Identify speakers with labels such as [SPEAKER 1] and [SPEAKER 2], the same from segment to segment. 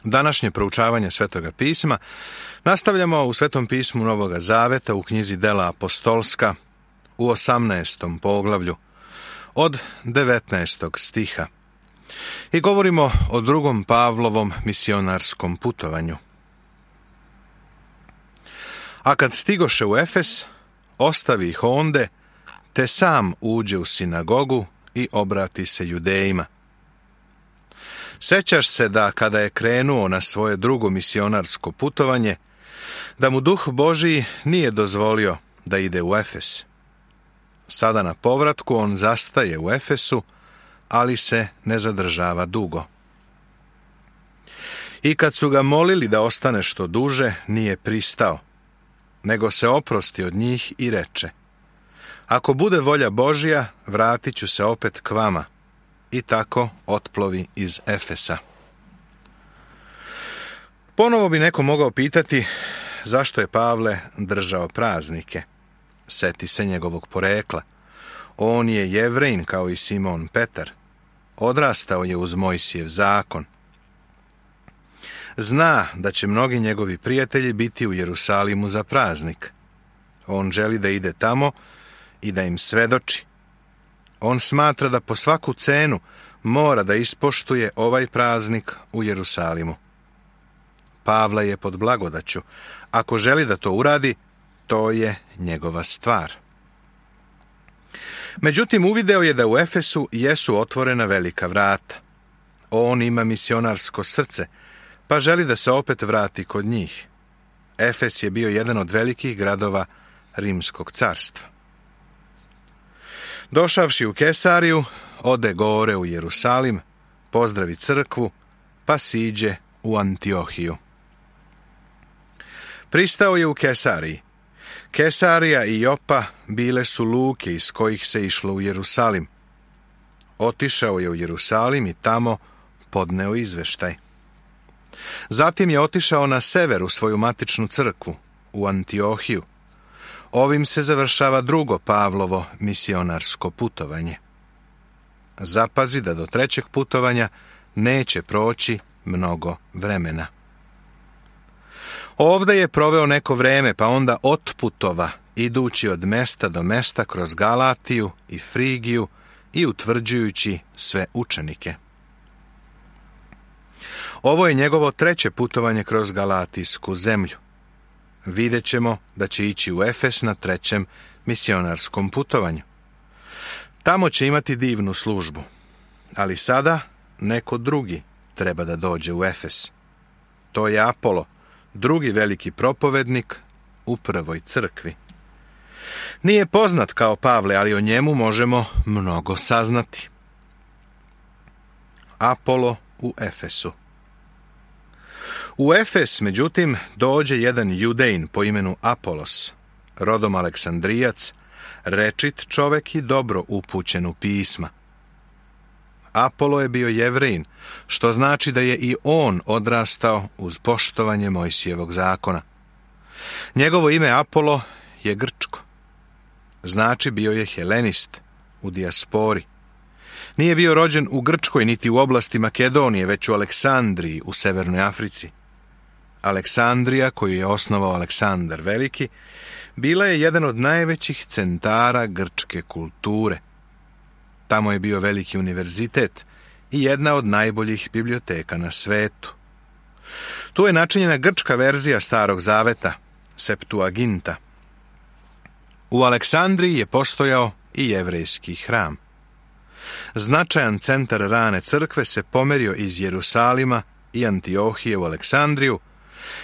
[SPEAKER 1] Današnje proučavanje Svetoga pisma nastavljamo u Svetom pismu Novoga Zaveta u knjizi Dela apostolska u 18. poglavlju od 19. stiha i govorimo o drugom Pavlovom misionarskom putovanju. A kad stigoše u Efes, ostavi ih onde, te sam uđe u sinagogu i obrati se Judejima. Sećaš se da kada je krenuo na svoje drugo misionarsko putovanje, da mu Duh Božiji nije dozvolio da ide u Efes. Sada na povratku on zastaje u Efesu, ali se ne zadržava dugo. I kad su ga molili da ostane što duže, nije pristao, nego se oprosti od njih i reče: ako bude volja Božja, vratit ću se opet k vama. I tako otplovi iz Efesa. Ponovo bi neko mogao pitati zašto je Pavle držao praznike. Seti se njegovog porekla. On je Jevrejin kao i Simon Petar. Odrastao je uz Mojsijev zakon. Zna da će mnogi njegovi prijatelji biti u Jerusalimu za praznik. On želi da ide tamo i da im svedoči. On smatra da po svaku cenu mora da ispoštuje ovaj praznik u Jerusalimu. Pavle je pod blagodaću. Ako želi da to uradi, to je njegova stvar. Međutim, uvideo je da u Efesu jesu otvorena velika vrata. On ima misionarsko srce, pa želi da se opet vrati kod njih. Efes je bio jedan od velikih gradova Rimskog carstva. Došavši u Kesariju, ode gore u Jerusalim, pozdravi crkvu, pa siđe u Antiohiju. Pristao je u Kesariji. Kesarija i Jopa bile su luke iz kojih se išlo u Jerusalim. Otišao je u Jerusalim i tamo podneo izveštaj. Zatim je otišao na sever u svoju matičnu crkvu, u Antiohiju. Ovim se završava drugo Pavlovo misionarsko putovanje. Zapazi da do trećeg putovanja neće proći mnogo vremena. Ovde je proveo neko vreme, pa onda otputova, idući od mesta do mesta kroz Galatiju i Frigiju i utvrđujući sve učenike. Ovo je njegovo treće putovanje kroz Galatijsku zemlju. Vidjet ćemo da će ići u Efes na trećem misionarskom putovanju. Tamo će imati divnu službu, ali sada neko drugi treba da dođe u Efes. To je Apolo, drugi veliki propovednik u prvoj crkvi. Nije poznat kao Pavle, ali o njemu možemo mnogo saznati. Apolo u Efesu. U Efes, međutim, dođe jedan Judejin po imenu Apolos, rodom Aleksandrijac, rečit čovek i dobro upućen u pisma. Apolo je bio Jevrejin, što znači da je i on odrastao uz poštovanje Mojsijevog zakona. Njegovo ime Apolo je grčko. Znači bio je helenist u dijaspori. Nije bio rođen u Grčkoj niti u oblasti Makedonije, već u Aleksandriji u Severnoj Africi. Aleksandrija, koju je osnovao Aleksandar Veliki, bila je jedan od najvećih centara grčke kulture. Tamo je bio veliki univerzitet i jedna od najboljih biblioteka na svetu. Tu je načinjena grčka verzija Starog Zaveta, Septuaginta. U Aleksandriji je postojao i jevrejski hram. Značajan centar rane crkve se pomerio iz Jerusalima i Antiohije u Aleksandriju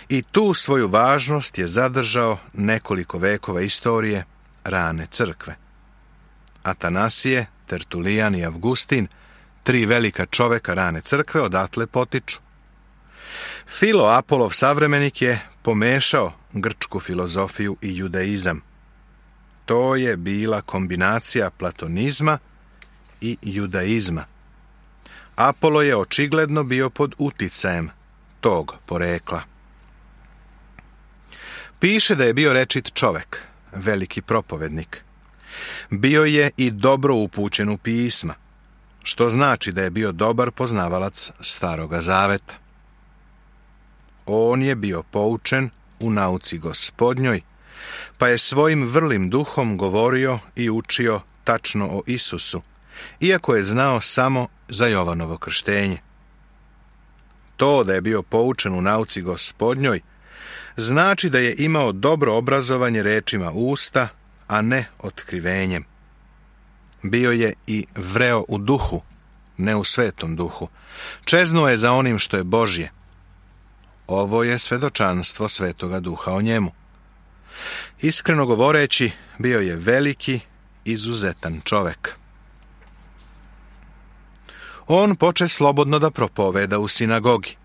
[SPEAKER 1] i tu svoju važnost je zadržao nekoliko vekova istorije rane crkve. Atanasije, Tertulijan i Avgustin, tri velika čoveka rane crkve, odatle potiču. Filo, Apolov savremenik, je pomešao grčku filozofiju i judaizam. To je bila kombinacija platonizma i judaizma. Apolo je očigledno bio pod uticajem tog porekla. Piše da je bio rečit čovek, veliki propovednik. Bio je i dobro upućen u pisma, što znači da je bio dobar poznavalac Staroga Zaveta. On je bio poučen u nauci Gospodnjoj, pa je svojim vrlim duhom govorio i učio tačno o Isusu, iako je znao samo za Jovanovo krštenje. To da je bio poučen u nauci Gospodnjoj znači da je imao dobro obrazovanje rečima usta, a ne otkrivenjem. Bio je i vreo u duhu, ne u svetom duhu. Čeznuo je za onim što je Božje. Ovo je svedočanstvo Svetoga Duha o njemu. Iskreno govoreći, bio je veliki, izuzetan čovek. On poče slobodno da propoveda u sinagogi.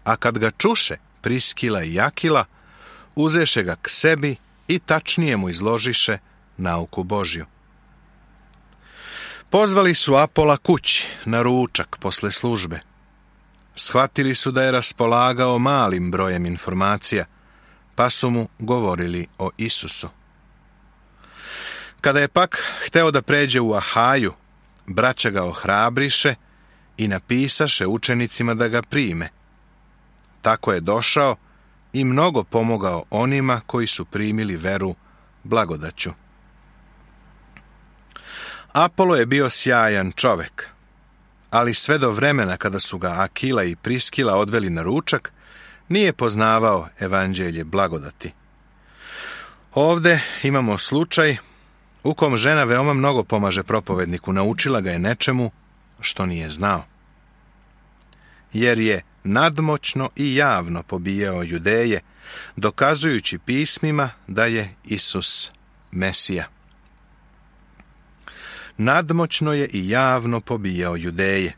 [SPEAKER 1] A kad ga čuše Priskila i Akila, uzeše ga k sebi i tačnije mu izložiše nauku Božju. Pozvali su Apola kući na ručak posle službe. Shvatili su da je raspolagao malim brojem informacija, pa su mu govorili o Isusu. Kada je pak hteo da pređe u Ahaju, braća ga ohrabriše i napisaše učenicima da ga prime. Tako je došao i mnogo pomogao onima koji su primili veru blagodaću. Apolo je bio sjajan čovek, ali sve do vremena kada su ga Akila i Priskila odveli na ručak, nije poznavao evanđelje blagodati. Ovde imamo slučaj u kom žena veoma mnogo pomaže propovedniku, naučila ga je nečemu što nije znao. Jer je nadmoćno i javno pobijao Judeje, dokazujući pismima da je Isus Mesija. Nadmoćno je i javno pobijao Judeje.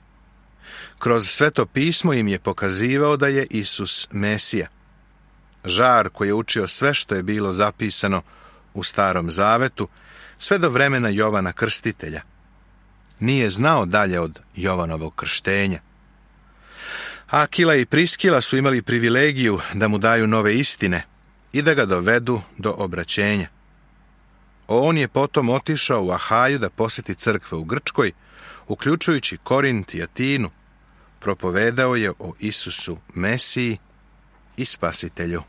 [SPEAKER 1] Kroz Sveto pismo im je pokazivao da je Isus Mesija. Žar koji je učio sve što je bilo zapisano u Starom Zavetu, sve do vremena Jovana Krstitelja. Nije znao dalje od Jovanovog krštenja. Akila i Priskila su imali privilegiju da mu daju nove istine i da ga dovedu do obraćenja. On je potom otišao u Ahaju da posjeti crkve u Grčkoj, uključujući Korint i Atinu. Propovedao je o Isusu Mesiji i Spasitelju.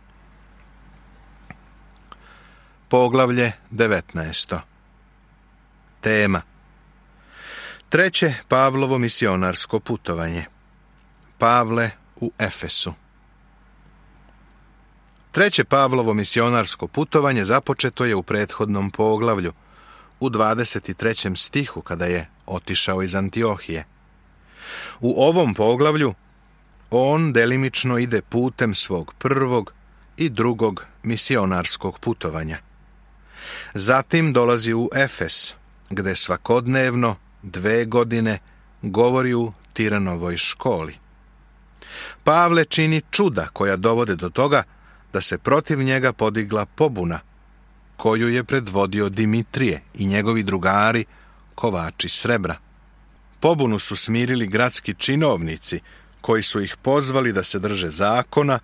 [SPEAKER 1] Poglavlje 19. Tema: Treće Pavlovo misionarsko putovanje. Pavle u Efesu. Treće Pavlovo misionarsko putovanje započeto je u prethodnom poglavlju, u 23. stihu, kada je otišao iz Antiohije. U ovom poglavlju on delimično ide putem svog prvog i drugog misionarskog putovanja. Zatim dolazi u Efes, gde svakodnevno 2 godine govori u Tiranovoj školi. Pavle čini čuda koja dovode do toga da se protiv njega podigla pobuna, koju je predvodio Dimitrije i njegovi drugari, kovači srebra. Pobunu su smirili gradski činovnici, koji su ih pozvali da se drže zakona,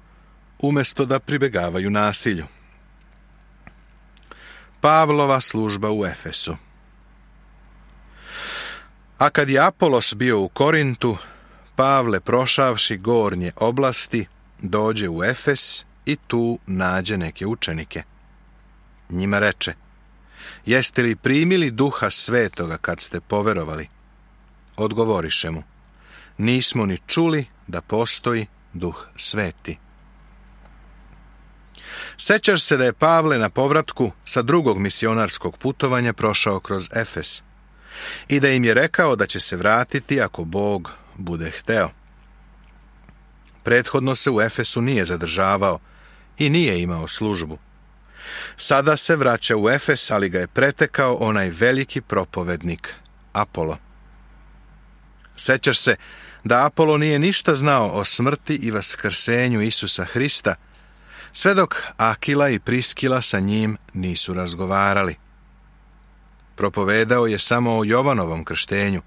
[SPEAKER 1] umjesto da pribegavaju nasilju. Pavlova služba u Efesu. A kad je Apolos bio u Korintu, Pavle, prošavši gornje oblasti, dođe u Efes i tu nađe neke učenike. Njima reče: Jeste li primili Duha Svetoga kad ste poverovali? Odgovoriše mu: Nismo ni čuli da postoji Duh Sveti. Sećaš se da je Pavle na povratku sa drugog misionarskog putovanja prošao kroz Efes i da im je rekao da će se vratiti ako Bog bude hteo. Prethodno se u Efesu nije zadržavao i nije imao službu. Sada se vraća u Efes, ali ga je pretekao onaj veliki propovednik Apolo. Sećaš se da Apolo nije ništa znao o smrti i vaskrsenju Isusa Hrista, sve dok Akila i Priskila sa njim nisu razgovarali. Propovedao je samo o Jovanovom krštenju,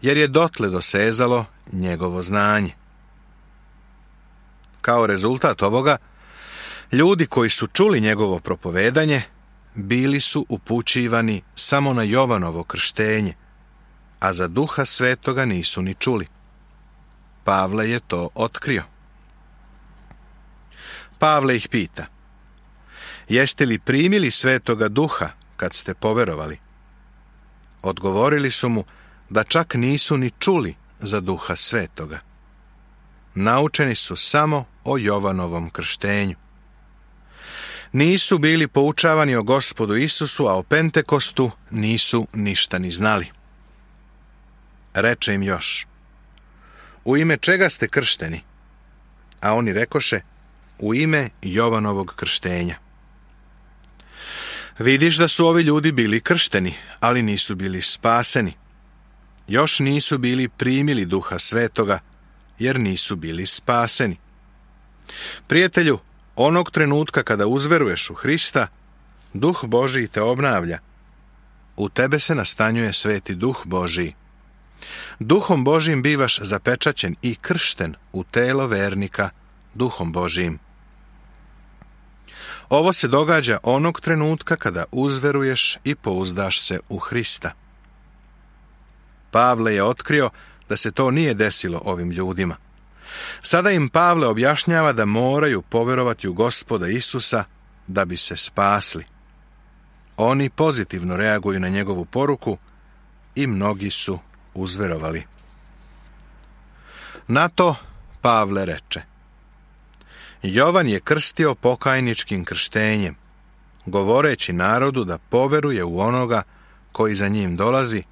[SPEAKER 1] jer je dotle dosezalo njegovo znanje. Kao rezultat ovoga, ljudi koji su čuli njegovo propovedanje bili su upućivani samo na Jovanovo krštenje, a za Duha Svetoga nisu ni čuli. Pavle je to otkrio. Pavle ih pita: jeste li primili Svetoga Duha kad ste poverovali? Odgovorili su mu da čak nisu ni čuli za Duha Svetoga. Naučeni su samo o Jovanovom krštenju. Nisu bili poučavani o Gospodu Isusu, a o Pentekostu nisu ništa ni znali. Reče im još: u ime čega ste kršteni? A oni rekoše: u ime Jovanovog krštenja. Vidiš da su ovi ljudi bili kršteni, ali nisu bili spaseni. Još nisu bili primili Duha Svetoga, jer nisu bili spaseni. Prijatelju, onog trenutka kada uzveruješ u Hrista, Duh Božiji te obnavlja. U tebe se nastanjuje Sveti Duh Božiji. Duhom Božijim bivaš zapečaćen i kršten u telo vernika Duhom Božijim. Ovo se događa onog trenutka kada uzveruješ i pouzdaš se u Hrista. Pavle je otkrio da se to nije desilo ovim ljudima. Sada im Pavle objašnjava da moraju poverovati u Gospoda Isusa da bi se spasli. Oni pozitivno reaguju na njegovu poruku i mnogi su uzverovali. Na to Pavle reče: Jovan je krstio pokajničkim krštenjem, govoreći narodu da poveruje u onoga koji za njim dolazi,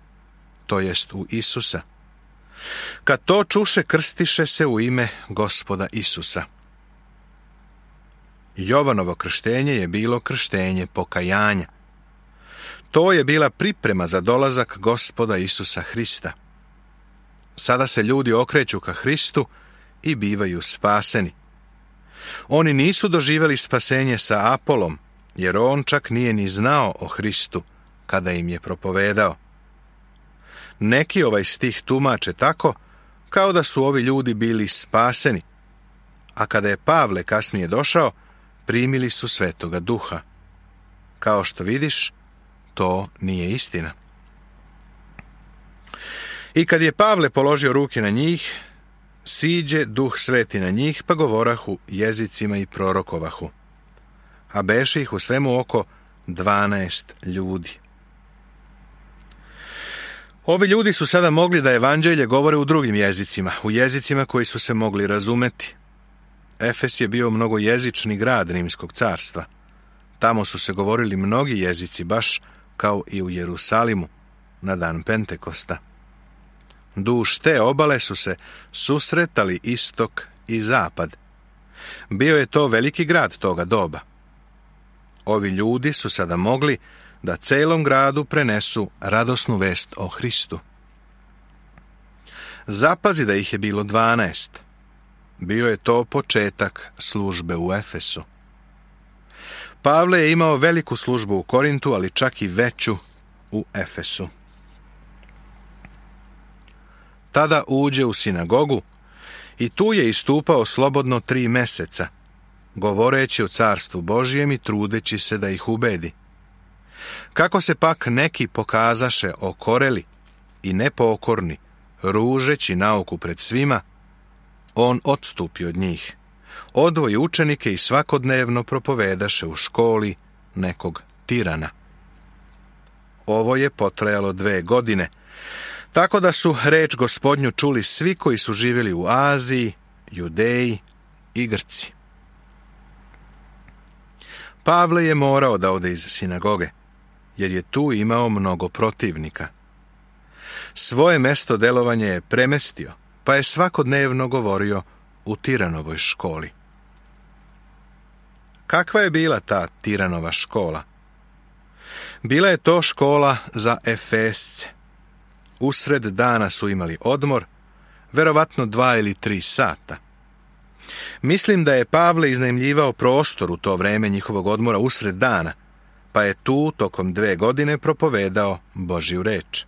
[SPEAKER 1] to jest u Isusa. Kad to čuše, krstiše se u ime Gospoda Isusa. Jovanovo krštenje je bilo krštenje pokajanja. To je bila priprema za dolazak Gospoda Isusa Hrista. Sada se ljudi okreću ka Hristu i bivaju spaseni. Oni nisu doživjeli spasenje sa Apolom, jer on čak nije ni znao o Hristu kada im je propovedao. Neki ovaj stih tumače tako kao da su ovi ljudi bili spaseni, a kada je Pavle kasnije došao, primili su Svetoga Duha. Kao što vidiš, to nije istina. I kad je Pavle položio ruke na njih, siđe Duh Sveti na njih, pa govorahu jezicima i prorokovahu. A beše ih u svemu oko 12 ljudi. Ovi ljudi su sada mogli da evanđelje govore u drugim jezicima, u jezicima koji su se mogli razumeti. Efes je bio mnogojezični grad Rimskog carstva. Tamo su se govorili mnogi jezici, baš kao i u Jerusalimu na dan Pentekosta. Duž te obale su se susretali istok i zapad. Bio je to veliki grad toga doba. Ovi ljudi su sada mogli da celom gradu prenesu radosnu vest o Hristu. Zapazi da ih je bilo 12. Bio je to početak službe u Efesu. Pavle je imao veliku službu u Korintu, ali čak i veću u Efesu. Tada uđe u sinagogu i tu je istupao slobodno 3 meseca, govoreći o carstvu Božijem i trudeći se da ih ubedi. Kako se pak neki pokazaše okoreli i nepokorni, ružeći nauku pred svima, on odstupi od njih, odvoji učenike i svakodnevno propovedaše u školi nekog tirana. Ovo je potrajalo 2 godine, tako da su reč Gospodnju čuli svi koji su živjeli u Aziji, Judeji i Grci. Pavle je morao da ode iz sinagoge, jer je tu imao mnogo protivnika. Svoje mesto delovanja je premestio, pa je svakodnevno govorio u Tiranovoj školi. Kakva je bila ta Tiranova škola? Bila je to škola za Efesce. Usred dana su imali odmor, verovatno 2 ili 3 sata. Mislim da je Pavle iznajmljivao prostor u to vreme njihovog odmora usred dana, pa je tu tokom 2 godine propovedao Božju reč.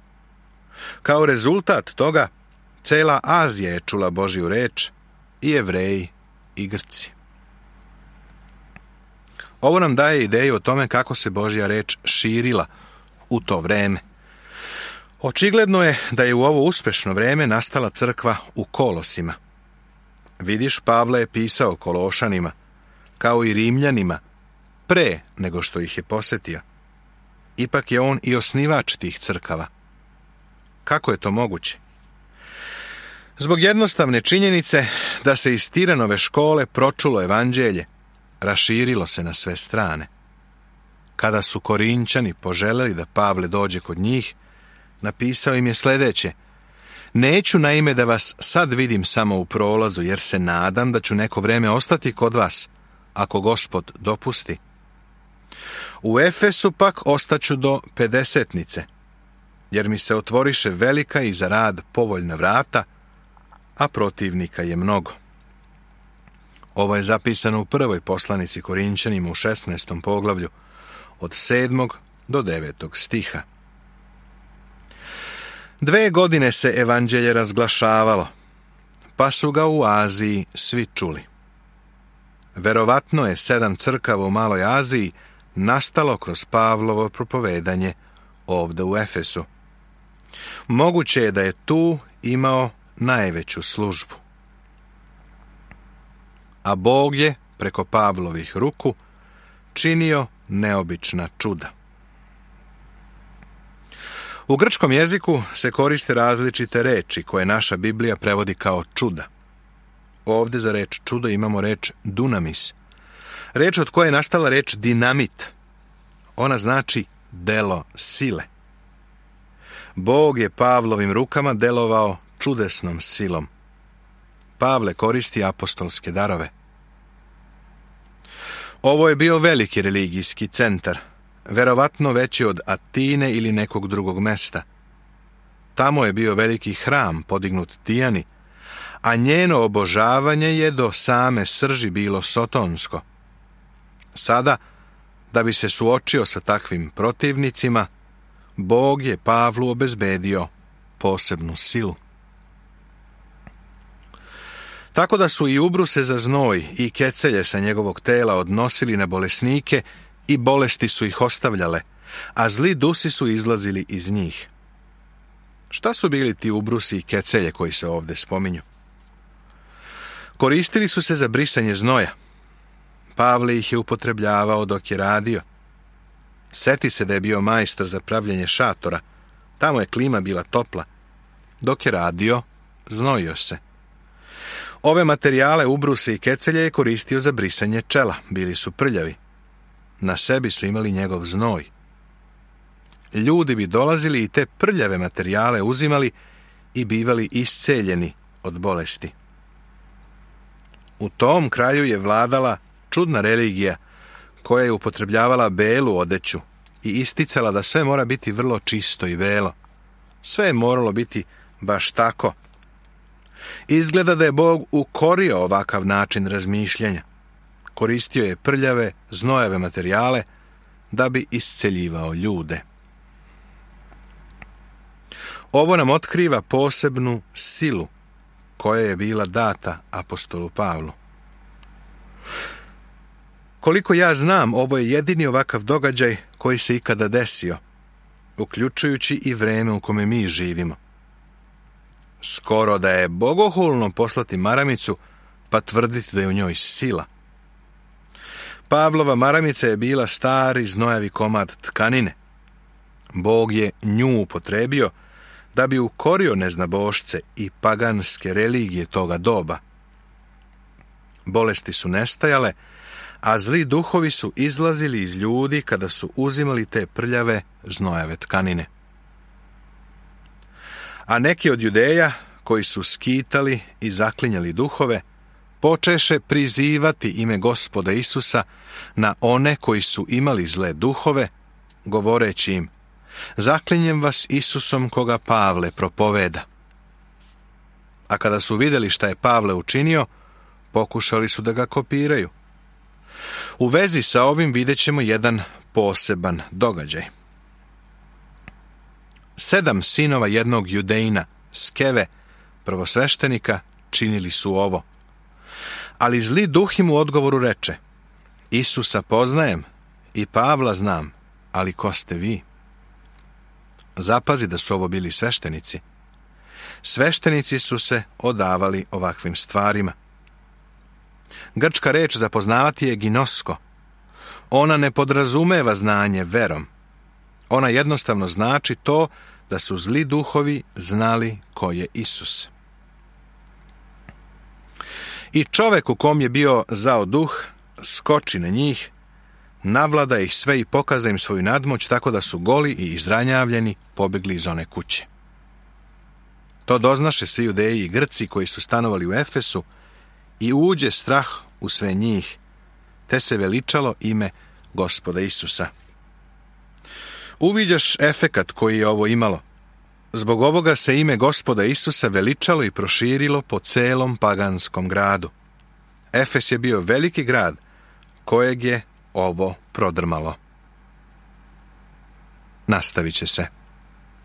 [SPEAKER 1] Kao rezultat toga, cela Azija je čula Božju reč, i Jevreji i Grci. Ovo nam daje ideju o tome kako se Božja reč širila u to vreme. Očigledno je da je u ovo uspešno vreme nastala crkva u Kolosima. Vidiš, Pavle je pisao Kološanima: kao i Rimljanima, pre nego što ih je posjetio. Ipak je on i osnivač tih crkava. Kako je to moguće? Zbog jednostavne činjenice da se iz Tiranove škole pročulo evanđelje, raširilo se na sve strane. Kada su Korinćani poželjeli da Pavle dođe kod njih, napisao im je sljedeće: neću naime da vas sad vidim samo u prolazu, jer se nadam da ću neko vrijeme ostati kod vas, ako Gospod dopusti. U Efesu pak ostaću do pedesetnice, jer mi se otvoriše velika i za rad povoljna vrata, a protivnika je mnogo. Ovo je zapisano u prvoj poslanici Korinćanima u 16. poglavlju, od 7. do 9. stiha. 2 godine se evanđelje razglašavalo, pa su ga u Aziji svi čuli. Verovatno je 7 crkava u Maloj Aziji nastalo kroz Pavlovo propovedanje ovdje u Efesu. Moguće je da je tu imao najveću službu. A Bog je, preko Pavlovih ruku, činio neobična čuda. U grčkom jeziku se koriste različite reči koje naša Biblija prevodi kao čuda. Ovdje za reč čudo imamo reč dunamis, reč od koje je nastala reč dinamit. Ona znači delo sile. Bog je Pavlovim rukama delovao čudesnom silom. Pavle koristi apostolske darove. Ovo je bio veliki religijski centar, verovatno veći od Atine ili nekog drugog mesta. Tamo je bio veliki hram podignut Dijani, a njeno obožavanje je do same srži bilo sotonsko. Sada, da bi se suočio sa takvim protivnicima, Bog je Pavlu obezbedio posebnu silu. Tako da su i ubruse za znoj i kecelje sa njegovog tela odnosili na bolesnike i bolesti su ih ostavljale, a zli dusi su izlazili iz njih. Šta su bili ti ubrusi i kecelje koji se ovdje spominju? Koristili su se za brisanje znoja. Pavle ih je upotrebljavao dok je radio. Seti se da je bio majstor za pravljenje šatora. Tamo je klima bila topla. Dok je radio, znojio se. Ove materijale, ubruse i kecelje, je koristio za brisanje čela. Bili su prljavi. Na sebi su imali njegov znoj. Ljudi bi dolazili i te prljave materijale uzimali i bivali isceljeni od bolesti. U tom kraju je vladala čudna religija koja je upotrebljavala belu odeću i isticala da sve mora biti vrlo čisto i belo. Sve je moralo biti baš tako. Izgleda da je Bog ukorio ovakav način razmišljanja. Koristio je prljave, znojave materijale da bi isceljivao ljude. Ovo nam otkriva posebnu silu koja je bila data apostolu Pavlu. Koliko ja znam, ovo je jedini ovakav događaj koji se ikada desio, uključujući i vreme u kome mi živimo. Skoro da je bogohulno poslati maramicu pa tvrditi da je u njoj sila. Pavlova maramica je bila stari znojavi komad tkanine. Bog je nju upotrebio da bi ukorio neznabošce i paganske religije toga doba. Bolesti su nestajale, a zli duhovi su izlazili iz ljudi kada su uzimali te prljave znojave tkanine. A neki od Judeja, koji su skitali i zaklinjali duhove, počeše prizivati ime Gospoda Isusa na one koji su imali zle duhove, govoreći im: zaklinjem vas Isusom koga Pavle propoveda. A kada su vidjeli šta je Pavle učinio, pokušali su da ga kopiraju. U vezi sa ovim vidjet ćemo jedan poseban događaj. 7 sinova jednog Judejina, Skeve, prvosveštenika, činili su ovo. Ali zli duh im u odgovoru reče: Isusa poznajem i Pavla znam, ali ko ste vi? Zapazi da su ovo bili sveštenici. Sveštenici su se odavali ovakvim stvarima. Grčka reč za poznavati je ginosko. Ona ne podrazumeva znanje verom. Ona jednostavno znači to da su zli duhovi znali ko je Isus. I čovek u kom je bio zao duh skoči na njih, navlada ih sve i pokaza im svoju nadmoć, tako da su goli i izranjavljeni pobjegli iz one kuće. To doznaše svi Judeji i Grci koji su stanovali u Efesu i uđe strah u sve njih, te se veličalo ime Gospoda Isusa. Uviđaš efekat koji je ovo imalo. Zbog ovoga se ime Gospoda Isusa veličalo i proširilo po celom paganskom gradu. Efes je bio veliki grad kojeg je ovo prodrmalo. Nastavit će se.